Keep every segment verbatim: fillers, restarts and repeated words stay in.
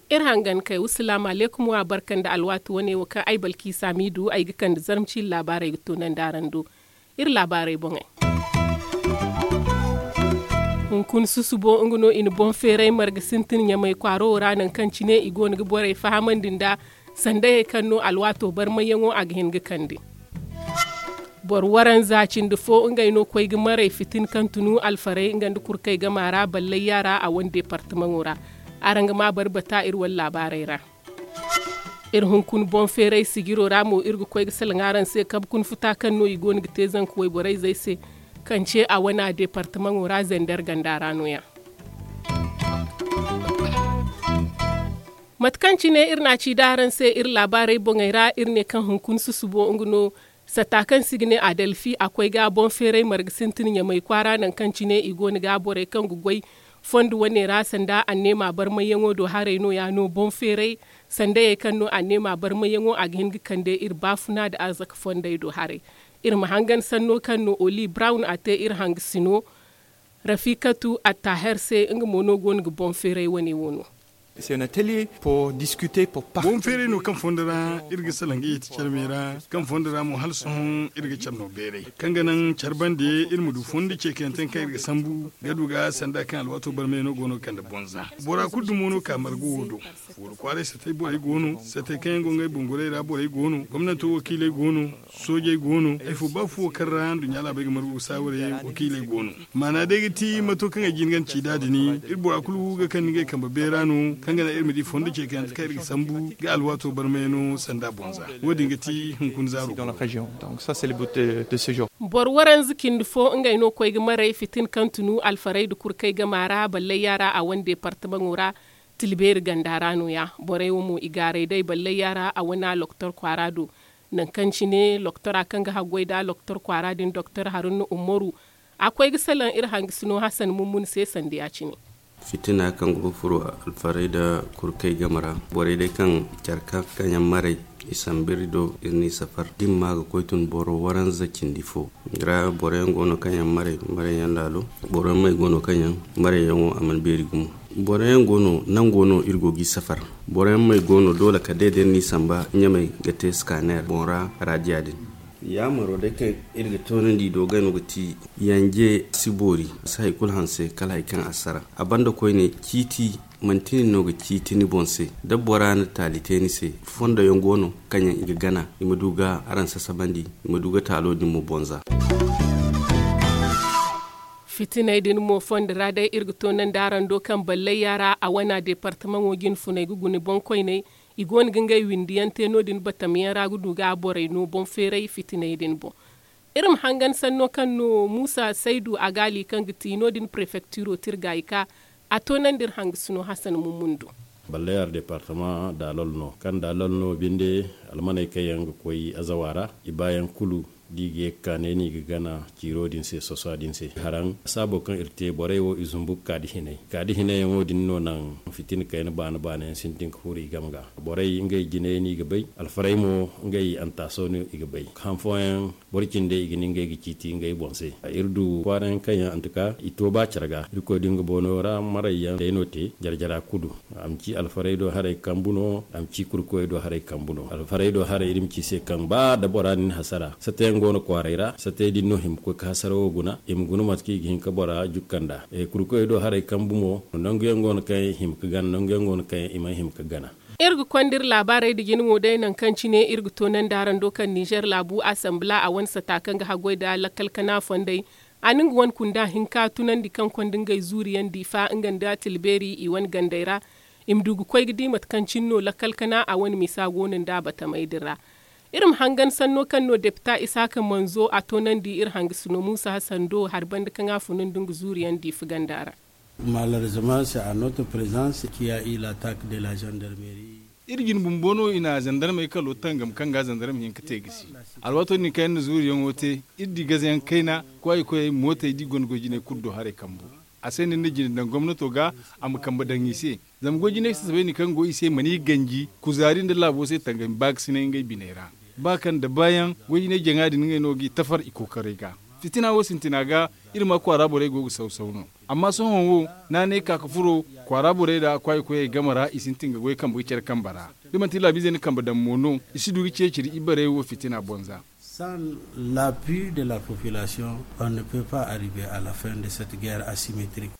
Iri hangan kay wa salaamu alaykum wa barka nda alwaati wane wo kaŋ ay balki saamiidu ay ga kande zarma ciiri laabaarey ga toonandi araŋ do. Iri laabaarey boŋey. Hunkuna susubo nga no i na boŋ feeray marga sintin ɲamay kwaaro wo ra nangu kaŋ cine i go no ga borey fahamandi nda sandayey kaŋ no alwaato barmayyaŋo a ga hin ga kande. Boro waranza cindi fo ngey no koy ga maray fitin kaŋ tunu alfarey nga nda kurkey gama ra ballay yaara a wane deepartamaŋo ra. Araŋ ga ma barbata iri wane laabaarey ra. Iri hunkuna boŋ feeray sijiro ra mo iri ga koy ga salaŋ araŋ se kabe kuna futa kaŋ no i go no ga te zanka wayborey zey se, kaŋ ce a wana deepartamaŋo ra zender ganda ra no- ya. Mate kaŋ cine iri na a ci da araŋ se iri laabaarey boŋey ra iri ne kaŋ hunkuna susubo nga no sata kaŋ se i ga ne adelfi a koy ga boŋ feeray marga sintin ɲamay kwaara nangu kaŋ cine i go no ga borey kaŋ ga goy fondo wane ra sanda anneema barmayyaŋo do haray no- ya no boŋ feeray sandayey kaŋ no anneema barmayyaŋo a ga hin ga kande iri baafuna nda arzaka fondey do haray. Iri ma hangan sanno kaŋ no oli brown a te iri hangasino rafikatu attaher se nga mo no go no ga boŋ feeray wane wo no. Boŋ feeray no kaŋ fondo ra iri ga salaŋ ga yeeti care me ra kaŋ fondo ra mo hala sohõ iri ga care no beeray kaŋ ga naŋ care bande iri ma du fondo ceekanyaŋ te kaŋ iri ga sambu ga du ga sanda kaŋ alwaato barmay no go no ga kande bonza. Bora kulu dumo no ka marga wo do. Fuuro kwaaray satay borey go no, satay kaŋ yaŋ go ngey bungurey ra borey go no, gomnanto wakiiley go no, soojey go no. Ay fo ba fuwo kaŋ ra nduɲɲa laabey ga margu ga saawarey wakiiley go no. Maana day ga ti mato kaŋ ay jin ga ni ci da dini iri bora kulu ga kande ngey kambe beera no kaŋ ga naŋ iri ma di fondo ceekante kaŋ iri ga sambu ga alwaato barmayano sanda bonza. Wo- din ga ti hunkuna zaaro. Boro waranza cindi fo ngey no koy ga maray fitin kaŋ tunu alfarey nda kurkey gama ra ballay yaara a wane deepartamaŋo ra. Tilbeeri ganda ra no- ya borey wo mo i gaaray day ballay yaara a wana loktor kwaara do. Nangu kaŋ cine loktora kaŋ ga haggoy nda loktor kwaara din doktor haruna ummaru a koy ga salaŋ iri hangasino hasan mummun se sanda ya- cine. Fitina kaŋ go ga furo alfarey nda kurkey game ra borey day kaŋ care kaŋ kaŋ yaŋ maray i sambu iri do iri n'i safar da i ma ma ga koy tun boro waranza cindi fo. Ra boro yaŋ go no kaŋ yaŋ maray maray yaŋ laalo. Boro yaŋ may go no kaŋ yaŋ maray yaŋo a mana beeri gumo. Boro yaŋ go no nango no iri go g'i safar. Boro yaŋ may go no doole kala day da iri n'i samba ɲamay ga te skaner boŋ ra raadiya din. Yaamaro day kaŋ iri ga toonandi i do gay no ga ti yanje si boori si hari kulu hanse kala hari kaŋ a sara. A banda koyne ciiti manti nin no ga ciiti ni boŋ se da bora na taali te ni se. Fondo yaŋ go no kaŋ yaŋ i ga gana i ma du ga araŋ sasabandi i ma du ga taalo din mo bonza. Fitiney din mo fondo ra day iri ga toonandi araŋ do kaŋ ballay yaara a wana deepartamaŋo jinfuney ga guna boŋkoyney. I go no ga ngey windi yaŋ te no- din batam yaŋ ra ga du ga borey no boŋ feeray fitiney din boŋ. Iri ma hangan sanno kaŋ no muusa saydu a gaali kaŋ ga ti no- din prefektiro tirgaayi ka a toonandi iri hangasino hasan mummun do. Ballay yaara deepartamaŋ daalol no kaŋ daalol no binde almaney kaŋ yaŋ ga koy azawa ra i baayaŋ kulu da i ga ye ga ka ne no i ga gana ciiro din se sosa din se haraŋ saabo kaŋ iri te borey wo i zumbu ga ka da hinay ka da hinay yaŋo din no naŋ fitina kayna baana baana yaŋ sintin ga furo i game ga. Borey ngey jinay no i ga bay alfarey mo ngey antaaso no i ga bay han fooyaŋ boro cindey i ga ne ngey ga ciiti ngey boŋ se. Iri du kwaara yaŋ kaŋ yaŋ antuka i to ba care ga irkoy din ga boono ra maray yaŋ day no te jare jara kulu. A ma ci alfarey do haray kambu no a ma ci kurkoyey do haray kambu no alfarey do haray iri ma ci se kaŋ ba da bora na ni hasara sata yaŋ go no kwaaray ra sata yaŋ din no hima ga koy ga hasara wo guna i ma guna mate kaŋ i ga hin ga bora jukka nd'a. Kurkoyey do haray kambu mo nangu yaŋ go no kaŋ i hima ga gana nangu yaŋ go no kaŋ i mana hima ga gana. Iri ga konda iri laabaarey nda jina mo day nangu kaŋ cine iri ga toonandi araŋ do kaŋ nizer laabu asambila a wane sata kaŋ ga haggoy nda lakkal kana fondey. A na nga wane kunda hinka tunandi kaŋ konda ngey zuuriyaŋ diifa nga nda tilbeeri i wane gandey ra. I ma du ga koy ga di mate kaŋ cine no lakkal kana a wane misa go no nda batamey din ra. Iri ma hangan sanno kaŋ no depita isaaka manzo a toonandi iri hangasino muusa hasan do hari banda kaŋ a funu nda nga zuuriyaŋ diifa ganda ra. Malheureusement c'est à notre présence qu'il y a eu l'attaque de la gendarmerie. Iri jine bumbo no i na zandarmey kalo tangam kaŋ ga zandarma hin ga te gisi. Alwaato din kaŋ yaŋ na zuuriyaŋo te iri di gazayaŋ kayna kwaayi-koyey mootey da i gonda goy-jiney kulu do haray kambu. A se no iri na jine daŋ gomnato ga a ma kambe daŋ i se. Zama goy-jiney sasabey din kaŋ go i se mana i ganji kuzaari nda laabo se tangami ba ga sinay ngey biney ra. Ba kaŋ da baayaŋ goy hinay jaŋa din ngey no g'i tafar i kookaray ga. Fitina wo sintina ga, iri ma kwaara borey go ga saw-saw no. Amma sohõ wo, naanay ka ga furo kwaara borey ra kwaayi koyey game ra, i sintin ga goy kambe ga care kambe ra. Da manti laabiizey na kambe daŋ mo no, i si du ga ceeciri ibarey wo fitina bonza. Sans l'appui de la population, on ne peut pas arriver à la fin de cette guerre asymétrique.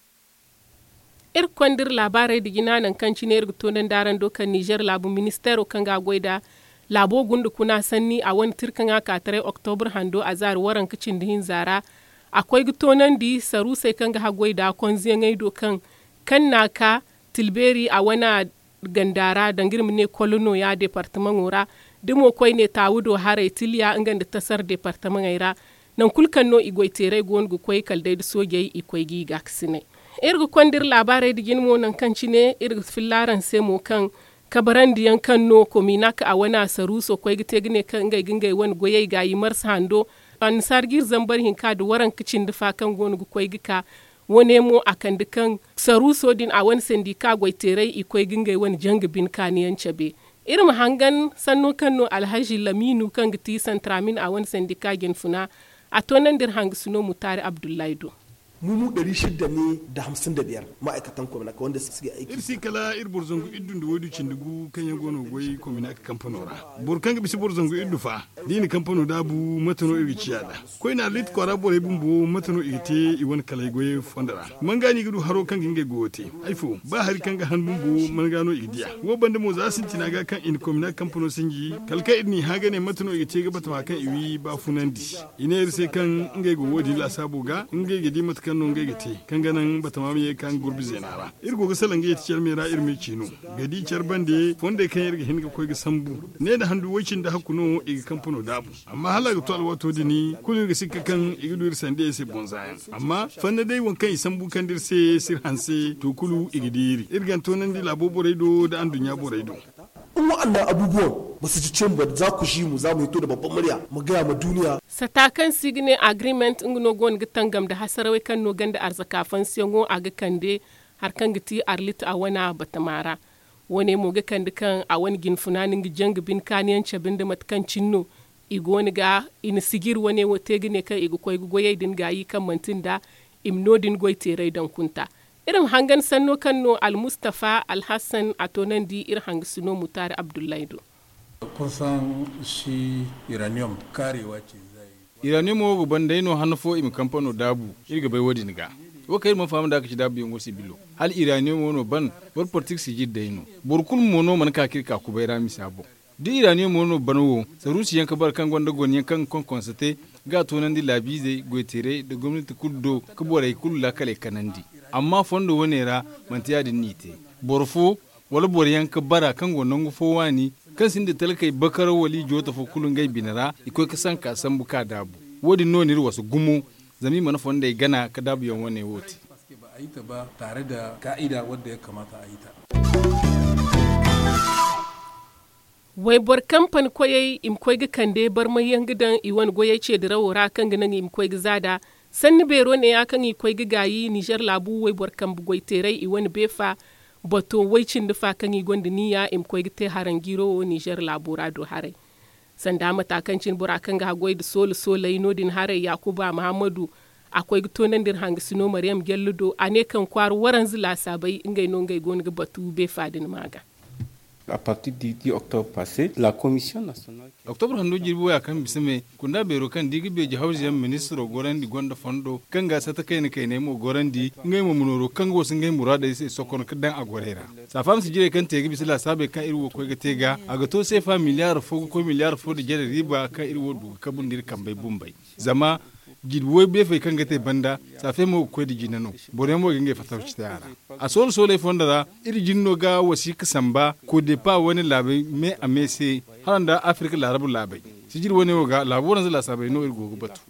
Iri ga konda iri laabaarey da jina nangu kaŋ cine iri ga toonandi araŋ do kaŋ nizer laabu ministeero kaŋ ga a goy nda laabo gunda kuna sanni a wane tirkaŋa kaataray oktobur hando azaari waranka cindi hinza ra. A koy ga toonandi saruusey kaŋ ga haggoy nda konzeyaŋey do kaŋ kanna ka tilbeeri a wane ganda ra danga iri ma ne kolo nooya deepartamaŋo ra. Da mo koyne taawu do haray tilya nga nda tasar deepartamaŋey ra. Nangu kulu kaŋ no i goy teeray goono ga koy kala day da soojey i koy g'i gaakasinay. Iri ga konda iri laabaarey nda jine mo nangu kaŋ cine iri ga filla araŋ se mo kaŋ kabarandi yaŋ kaŋ no kominak a wane a saruuso koy ga te ga ne kaŋ ngey ga ngey wane goyey gaayi marsa hando. Annasaara ga iri zambar hinka nda waranka cindi fa kaŋ goono ga koy ga ka. Wane mo a kande kaŋ saruuso din a wane sandika goy teeray i koy ga ngey wane janga bine kaani yaŋ cabe. Iri ma hangan sanno kaŋ no alhazi lamiinu kaŋ ga ti santramin a wane sandika jinfuna. A toonandi iri hangasino mutaari abdullahi do. Mumu dari shidda ne da hamsin da biyar ma'aikatan kwamina ka wanda suke aiki. Iri si kala iri boro zangu iddu nda waydu cindi gu kaŋ yaŋ go no ga goy kwamina ka kampano ra. Boro kaŋ ga bisa boro zangu iddu fa da i na kampano daabu mate no iri ga ciya nd'a? Koyne arlit kwaara borey bumbo mate no i ga te i wane kalay goyey fondo ra? Manga no i ga du haro kaŋ ga ngey goyo te? Ay fo ba hari kaŋ ga han bumbo manga no i ga diya? Wo banda mo za sintina ga kaŋ i na komina kampano sinji kala kaŋ iri n'i hã ga ne mate no i ga te ga batama kaŋ i wi baafunandi. I ne iri se kaŋ ngey go wo- din laasaabo ga ngey ga di mate kaŋ no ngey ga te kaŋ ga naŋ batama ma ye ga ka nga gurbi zeena ra. Iri go ga salaŋ ga yeti care me ra iri ma i ci no ga di care bande fondey kaŋ iri ga hin ga koy ga sambu. Ne nda handu way-cindi hakku no i ga kampano daabu. Amma hala a ga to alwaato din kulu iri ga sikka kaŋ i ga du iri sandiyey se bonza yaŋ. Amma fanna day waŋ kaŋ i sambu kaŋ da iri se si iri hanse to kulu i ga di iri iri ga toonandi laabo borey do nda anduɲɲa borey do. In wa'annan abubuwan ba su ci cin ba za ku ji mu za mu hito da babban murya mu gaya ma duniya. Sata kaŋ se i ga ne agreement nga no go no ga tangam nda hasarawey kaŋ no ganda arzaka fansiyaŋo a ga kande hari kaŋ ga ti arlit a wane batama ra. Wo- ne mo ga kande kaŋ a wane jinfuna no nga janga bine kaani yaŋ cabe nda mate kaŋ cine no i go no ga i na sijiri wane wo te ga ne kaŋ i ga koy ga goyey din gaayi kaŋ manti nda i ma no- din goy teeray daŋ kunta. Iri ma hangan sanno kaŋ no almustafa alhassan a toonandi iri hangasino mutaari abdullahi do. Kun san shi iraniyom kaarewa ce zai. Iraniyom wo ga ban day no han fo i ma kampano daabu. Iri ga bay wo- din ga wo kaŋ iri mana faham nd'a ga ci daabuyaŋo sibilo. Hala iraniyom wo no ban boro politik sijiri day no. Boro kulu mo no mana ka ka iri ka kubay ra misa boŋ. Da iraniyom wo no ban wo saruusi yaŋ ga bara kaŋ gonda gone yaŋ kaŋ ga konkonsa te ga a toonandi laabiizey goy-teerey nda gomnati kulu do ga borey kulu laakaley kanandi. Amma fondo wane ra manti ya- din no i te. Boro fo wala boro yaŋ ga bara kaŋ go nangu fo waani kaŋ sinda talkey bakaraw wala i jooto fo kulu ngey bine ra i koy ga sanka sambu ka daabu. Wo- din no n'iri wasa gumo zama i mana fondey gana ga daabuyaŋ wane wo te. Ba a yi ta ba tare da ka'ida wadda ya kamata a yi ta. Wayboro kampani koyey i ma koy ga kande barmay yaŋ ga daŋ i wane goyey ceedirawo ra kaŋ ga naŋ i ma koy ga za nd'a. Sanni beero neeya kaŋ i koy ga gaayi nizer laabu wayboro kambe goy teeray i wane beefa bato way-cindi fa kaŋ i gonda niya i ma koy ga te haranjiiro wo nizer laabo ra do haray. Sanda mata kaŋ cine bora kaŋ ga haggoy nda soola sooley no- din haray yaakuba mahammadu a koy ga toonandi iri hangasino mariyam jallo do a ne kaŋ kwaara waranza laasaabey ngey no ngey go no ga batu beefa din ma ga. Oktobra hanno jirbi waya kaŋ bisa me kunda beero kaŋ da i ga beeji hawza yaŋ ministiro gorandi gonda fondo kaŋ ga sata kayna kayney mo gorandi ngey mo ma nooro kaŋ ga wasu ngey muraadey se sokon ga daŋ a gorey ra. Saafaama sijirey kaŋ te ga bisa laasaabey kaŋ iri wo koy ga te ga a ga to seefa miliyaar fo ga koy miliyaar fo nda jare riiba kaŋ iri wo du ga kabu nda iri kambey bumbey. Zama jirbi way beefey kaŋ ga te banda saafey mo ga koy nda jina no. Boroyaŋ mo ga ngey fatawci te a ra. A soolo sooley fondo ra iri jine no ga wasiika samba kodepa wane laabey me a me se hala nda afirka laarabu laabey. Sijiri wane wo ga laabu waranza laasaabey no iri go ga batu.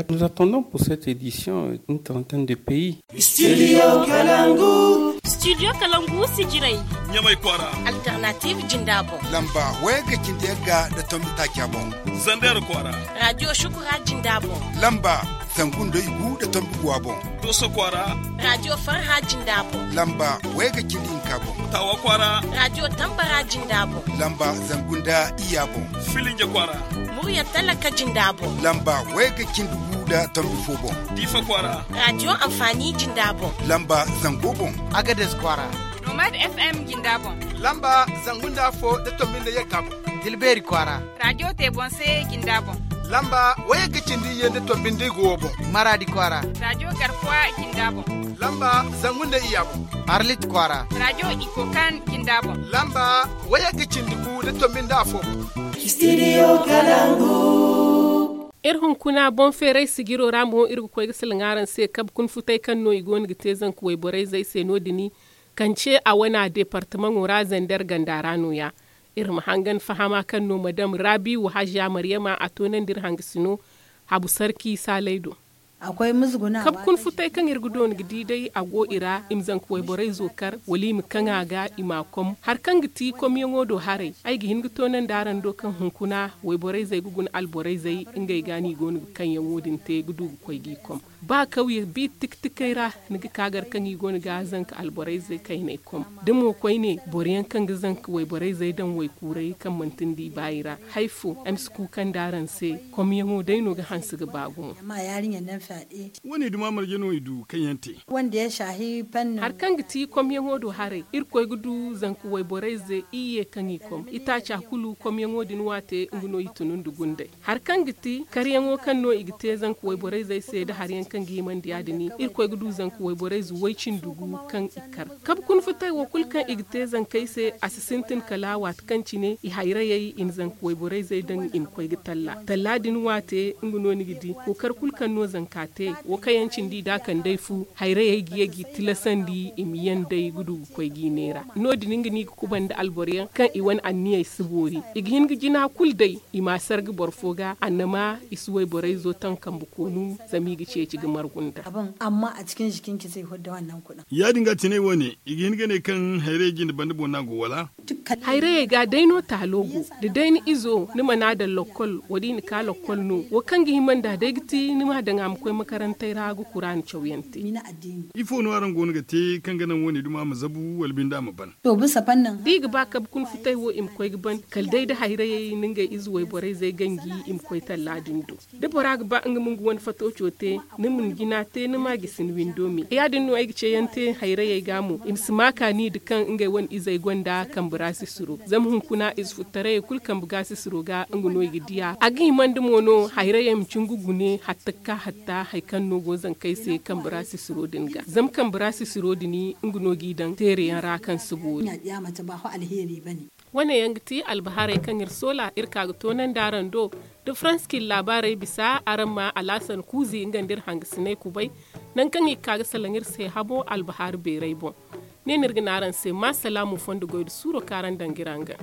Nous attendons pour cette édition une trentaine de pays. Studio kalangu. Studio kalangu sijirey. Ɲamay kwaara. Alternative jindabo. Lamba wayagga cindi yagga da tombi taaca boŋ. Zander kwaara. Radio shukura jindabo. Lamba Zangu nda igu nda tombi gu a boŋ. Dooso kwaara. Raadiyo farha jinda boŋ. Lamba wayga cindi hinka boŋ. Taawa kwaara. Raadiyo tambara jinda boŋ. Lamba zangu nda iyya boŋ. Filinja kwaara. Murya talaka jinda boŋ. Lamba wayga cindi gu nda tombi fo boŋ. Diifa kwaara. Raadiyo anfaani jinda boŋ. Lamba zango boŋ. Agades kwaara. Nomad f m jinda boŋ. Lamba zangu nda afo nda tombi nda yagga boŋ. Tilbeeri kwaara. Raadiyo te boŋ se jinda boŋ. Lamba wayagga cindi iyye nda tombi nda igu wo boŋ. Maraadi kwaara. Raadiyo garkuwa jinda boŋ. Lamba zangu nda iyya boŋ. Arlit kwaara. Raadiyo ikokan jinda boŋ. Lamba wayagga cindi gu nda tombi nda afo boŋ. Studio kalangu. Iri hunkuna boŋ feeray sijiro ra mo iri ga koy ga salaŋ araŋ se kabe kuna futay kaŋ no i go no ga te zanka wayborey zey se no- din. Kance a wana deepartamaŋo ra zander ganda ra no- ya. Iri ma hangan fahama kaŋ no madam rabiwu haziya maryama a toonandi iri hangasino habu sarki saalay do. Kabe kuna futay kaŋ iri ga doona ga di day a go i ra i ma zanka wayborey zo kar wala i ma kaŋ a ga i m'a kom hari kaŋ ga ti komyaŋo do haray. Ay ga hin ga toonandi araŋ do kaŋ hunkuna wayborey zey ga guna alborey zey ngey ga no i go no ga kaŋyaŋo din te ga du ga koy g'i kom. Ba kawye bi tiktikey ra ni ga ka gar kaŋ i go no ga zanka alborey zey kayney kom da mo koyne boro yaŋ kaŋ ga zanka wayborey zey daŋ waykuuray kaŋ manti ni di baayi ra. Hari fo ay ma si kuukandi araŋ se. Komyaŋo day no ga hanse ga ba gumo. Wo- ne duma marje no i du kaŋ yaŋ te. Hari kaŋ ga ti komyaŋo do haray irkoy ga du zanka wayborey zey iyye kaŋ i kom itaaca kulu komyaŋo din waate nga no i tunu nda gunday. Hari kaŋ ga ti karyaŋo kaŋ no i ga te zanka wayborey zey se nda hari yaŋ kaŋ ga himandi ya- din irkoy ga du zanka wayborey zey way-cindi gu kaŋ i kar. Kabe kuna futay wo kulu kaŋ i ga te zankey se a si sintin kala waati kaŋ cine i hayrayey i na zanka wayborey zey daŋ i ma koy ga talla talla din waate nga no ni ga di kookari kulu kaŋ no zanka te. Wo kaŋ yaŋ cindi i da kand'ey fu hayrayey ga ye g'i tilasandi i ma yaŋ day ga du ga koy g'i neera. No- din nga no i ga kubanda alboro yaŋ kaŋ i wane anniyey si boori. I ga hin ga jina kulu day i m'a sarga boro fo ga annama i si wayborey zo taŋ kambe koonu zama i ga ceeci ga margu nda. Ya- din ga tinay wo- ne i ga hin ga ne kaŋ hayrayey jinde banda boŋ no a go wala? Hayrayey ga day no taalo go da day ni izo ni mana daŋ lokkol wo- din i na ka lokkol no wo kaŋ ga hima nd'a day ga ti ni m'a daŋ a ma koy makarantey ra ga kuraana cawyaŋ te. Ifo no araŋ go no ga te kaŋ ga naŋ wo- ne duma ma zabu wala binde a ma ban? Da i ga ba kabe kuna futay wo i ma koy ga ban kala day da hayrayey nda ngey ize wayborey zey ganji i ma koy talla din do. Da bora ga ba nga ma nga wane fatooco te ni ma ni jina te ni m'a gisi ni windo me ya- din no ay ga ceeyaŋ te hayrayey ga mo i ma si ma kaani nda kaŋ ngey wane izey gonda kambe ra sisiro zama hunkuna ize futtarayey kulu kambe ga sisiro ga nga no i ga diya a ga hima nda mo no hayrayey ma cin ga gune hatta ga ka hatta hari kaŋ no go zankey se kambe ra sisiro din ga zama kambe ra sisiro din nga no g'i daŋ teere yaŋ ra kaŋ si boori. Wane yaŋ ga ti albahaarey kaŋ iri soola iri ka ga toonandi araŋ do. Da farans cin laabaarey bisa araŋ ma alaasan kuuzi nga nda iri hangasiney kubay nangu kaŋ i ga ka ga salaŋ iri se habo albahaari beeray boŋ. Ne no iri ga ne araŋ se ma salaamu fondo goy nda suuro kaŋ araŋ daŋ ga iri hangan.